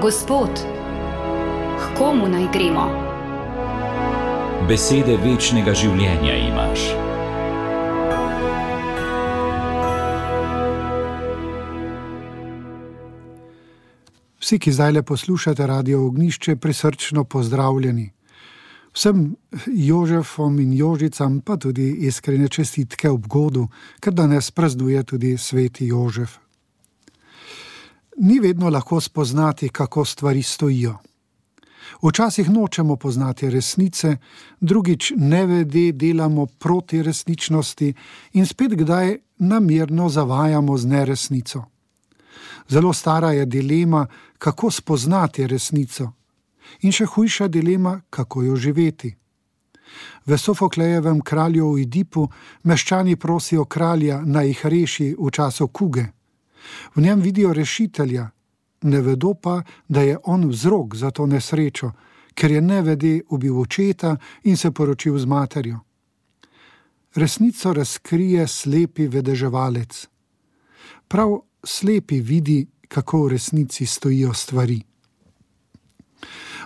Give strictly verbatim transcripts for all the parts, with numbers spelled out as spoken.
Gospod, k komu naj gremo? Besede večnega življenja imaš. Vsi, ki zdajle poslušate Radio Ognjišče, prisrčno pozdravljeni. Vsem Jožefom in Jožicam pa tudi iskrene čestitke ob godu, ker danes praznuje tudi sveti Jožef. Ni vedno lahko spoznati, kako stvari stojijo. Včasih nočemo poznati resnice, drugič nevede delamo proti resničnosti in spet kdaj namerno zavajamo z neresnico. Zelo stara je dilema, kako spoznati resnico. In še hujša dilema, kako jo živeti. V Sofoklejevem Kralju v Oidipu meščani prosijo kralja, naj jih reši v času kuge. V njem vidijo rešitelja, ne vedo pa, da je on vzrok za to nesrečo, ker je nevede ubil očeta in se poročil z materjo. Resnico razkrije slepi vedeževalec. Prav slepi vidi, kako v resnici stojijo stvari.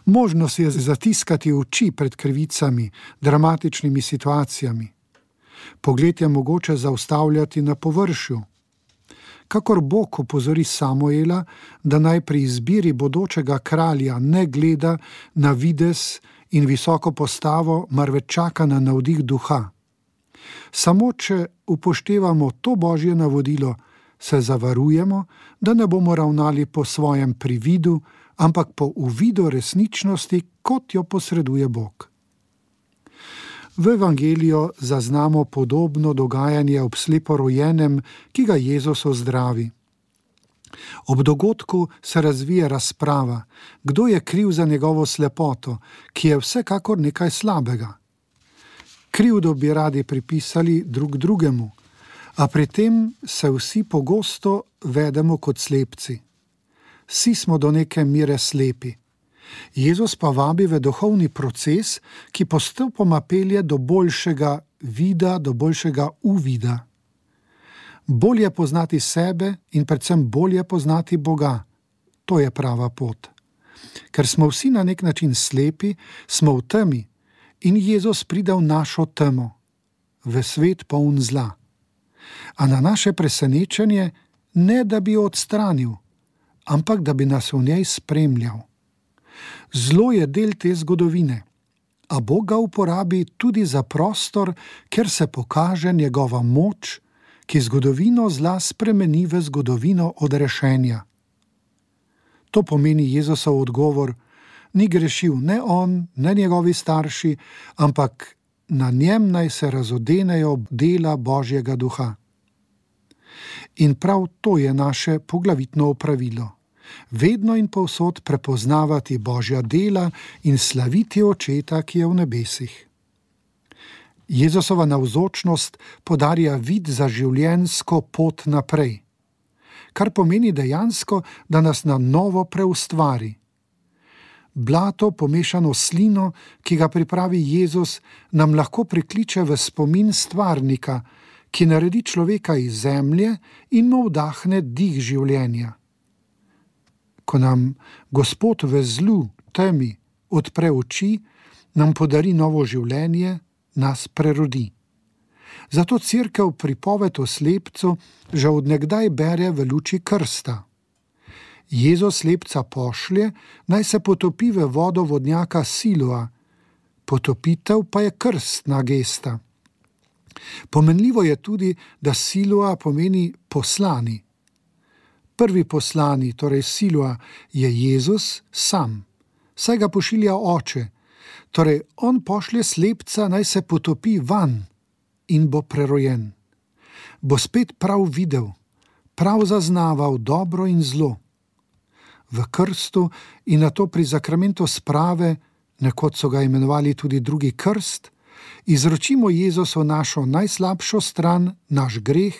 Možnost je zatiskati oči pred krivicami, dramatičnimi situacijami. Pogled je mogoče zaustavljati na površju. Kakor Bog opozori Samuela, da naj pri izbiri bodočega kralja ne gleda na videz in visoko postavo, marveč čaka na navdih duha. Samo če upoštevamo to Božje navodilo, se zavarujemo, da ne bomo ravnali po svojem prividu, ampak po uvidu resničnosti, kot jo posreduje Bog. V Evangeliju zaznamo podobno dogajanje ob sleporojenem, ki ga Jezus ozdravi. Ob dogodku se razvije razprava, kdo je kriv za njegovo slepoto, ki je vsekakor nekaj slabega. Krivdo bi radi pripisali drug drugemu, a pri tem se vsi pogosto vedemo kot slepci. Vsi smo do neke mere slepi. Jezus pa vabi v duhovni proces, ki postopoma pelje do boljšega vida, do boljšega uvida. Bolje poznati sebe in predvsem bolje poznati Boga. To je prava pot. Ker smo vsi na nek način slepi, smo v temi in Jezus pride v našo temo, v svet poln zla. A na naše presenečenje ne, da bi jo odstranil, ampak da bi nas v njej spremljal. Zlo je del te zgodovine, a Bog ga uporabi tudi za prostor, ker se pokaže njegova moč, ki zgodovino zla spremeni v zgodovino odrešenja. To pomeni Jezusov odgovor, ni grešil ne on, ne njegovi starši, ampak na njem naj se razodenejo dela Božjega duha. In prav to je naše poglavitno opravilo. Vedno in povsod prepoznavati Božja dela in slaviti Očeta, ki je v nebesih. Jezusova navzočnost podarja vid za življenjsko pot naprej, kar pomeni dejansko, da nas na novo preustvari. Blato pomešano s slino, ki ga pripravi Jezus, nam lahko prikliče v spomin stvarnika, ki naredi človeka iz zemlje in mu vdahne dih življenja. Ko nam Gospod v zlu, temi, odpre oči, nam podari novo življenje, nas prerodi. Zato Cerkev pripoved o slepcu že od nekdaj bere v luči krsta. Jezus slepca pošlje, naj se potopi v vodo vodnjaka Siloa, potopitev pa je krstna gesta. Pomenljivo je tudi, da Siloa pomeni poslani. Prvi poslani, torej Siloa, je Jezus sam, saj ga pošilja Oče, torej on pošlje slepca, naj se potopi van in bo prerojen. Bo spet prav videl, prav zaznaval dobro in zlo. V krstu in nato pri zakramentu sprave, nekoč so ga imenovali tudi drugi krst, izročimo Jezusu našo najslabšo stran, naš greh,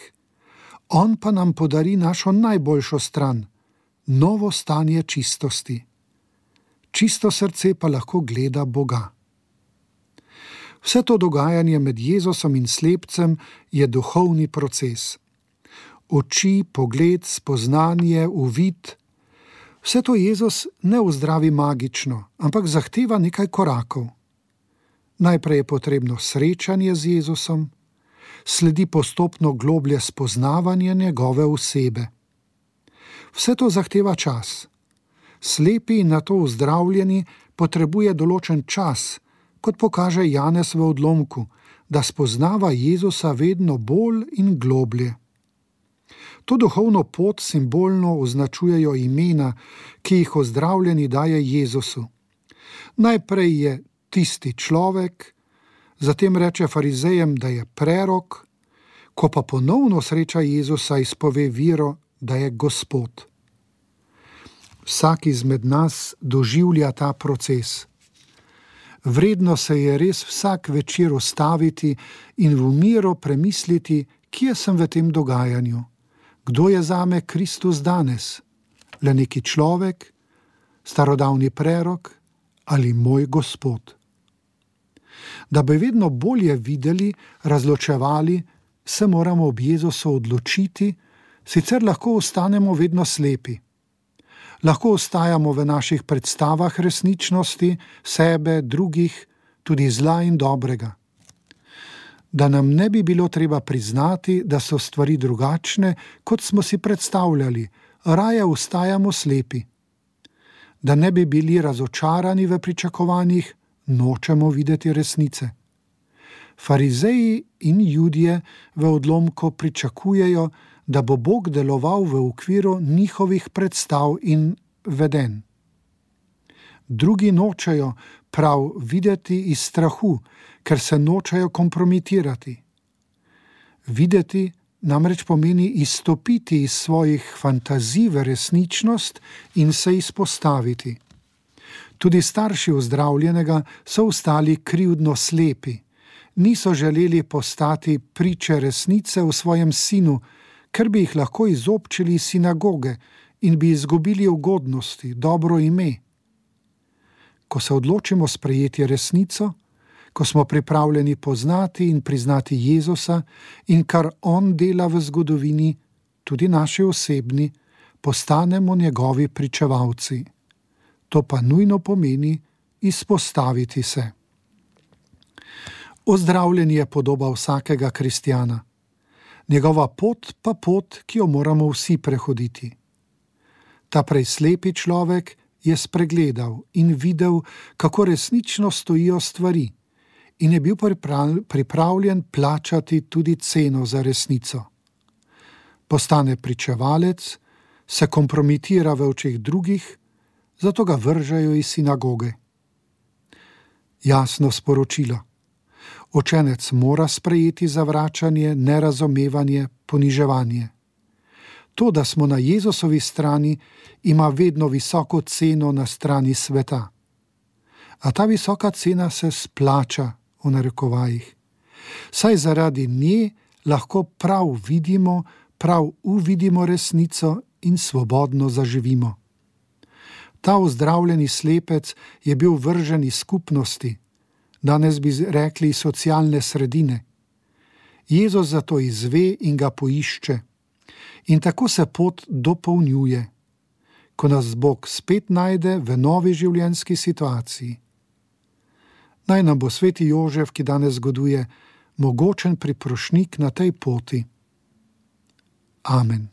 on pa nam podari našo najboljšo stran, novo stanje čistosti. Čisto srce pa lahko gleda Boga. Vse to dogajanje med Jezusom in slepcem je duhovni proces. Oči, pogled, spoznanje, uvid, Vse to Jezus ne uzdravi magično, ampak zahteva nekaj korakov. Najprej je potrebno srečanje z Jezusom, sledi postopno globlje spoznavanje njegove osebe. Vse to zahteva čas. Slepi in nato uzdravljeni potrebuje določen čas, kot pokaže Janez v odlomku, da spoznava Jezusa vedno bolj in globlje. To duhovno pot simbolno označujejo imena, ki jih ozdravljeni daje Jezusu. Najprej je tisti človek, zatem reče farizejem, da je prerok, ko pa ponovno sreča Jezusa, izpove vero, da je Gospod. Vsak izmed nas doživlja ta proces. Vredno se je res vsak večer ustaviti in v miru premisliti, kje sem v tem dogajanju. Kdo je zame Kristus danes? Le neki človek, starodavni prerok ali moj Gospod? Da bi vedno bolje videli, razločevali, se moramo ob Jezusu odločiti, sicer lahko ostanemo vedno slepi. Lahko ostajamo v naših predstavah resničnosti, sebe, drugih, tudi zla in dobrega. Da nam ne bi bilo treba priznati, da so stvari drugačne, kot smo si predstavljali, raje ostajamo slepi. Da ne bi bili razočarani v pričakovanjih, nočemo videti resnice. Farizeji in Judje v odlomku pričakujejo, da bo Bog deloval v okviru njihovih predstav in vedenj. Drugi nočejo prav videti iz strahu, ker se nočejo kompromitirati. Videti namreč pomeni izstopiti iz svojih fantazij v resničnost in se izpostaviti. Tudi starši ozdravljenega so ostali krivdno slepi. Niso želeli postati priče resnice v svojem sinu, ker bi jih lahko izobčili iz sinagoge in bi izgubili ugodnosti, dobro ime. Ko se odločimo sprejeti resnico, ko smo pripravljeni poznati in priznati Jezusa in kar On dela v zgodovini, tudi naši osebni, postanemo njegovi pričevalci. To pa nujno pomeni izpostaviti se. Ozdravljen je podoba vsakega kristjana. Njegova pot pa pot, ki jo moramo vsi prehoditi. Ta prej slepi človek je spregledal in videl, kako resnično stojijo stvari in je bil pripravljen plačati tudi ceno za resnico. Postane pričevalec, se kompromitira v očeh drugih, zato ga vržejo iz sinagoge. Jasno sporočilo. Učenec mora sprejeti zavračanje, nerazumevanje, poniževanje. To, da smo na Jezusovi strani, ima vedno visoko ceno na strani sveta. A ta visoka cena se splača, v narekovajih. Saj zaradi nje lahko prav vidimo, prav uvidimo resnico in svobodno zaživimo. Ta ozdravljeni slepec je bil vržen iz skupnosti, danes bi rekli socialne sredine. Jezus zato izve in ga poišče. In tako se pot dopolnjuje, ko nas Bog spet najde v novi življenjski situaciji. Naj nam bo sveti Jožef, ki danes zgoduje, mogočen priprošnik na tej poti. Amen.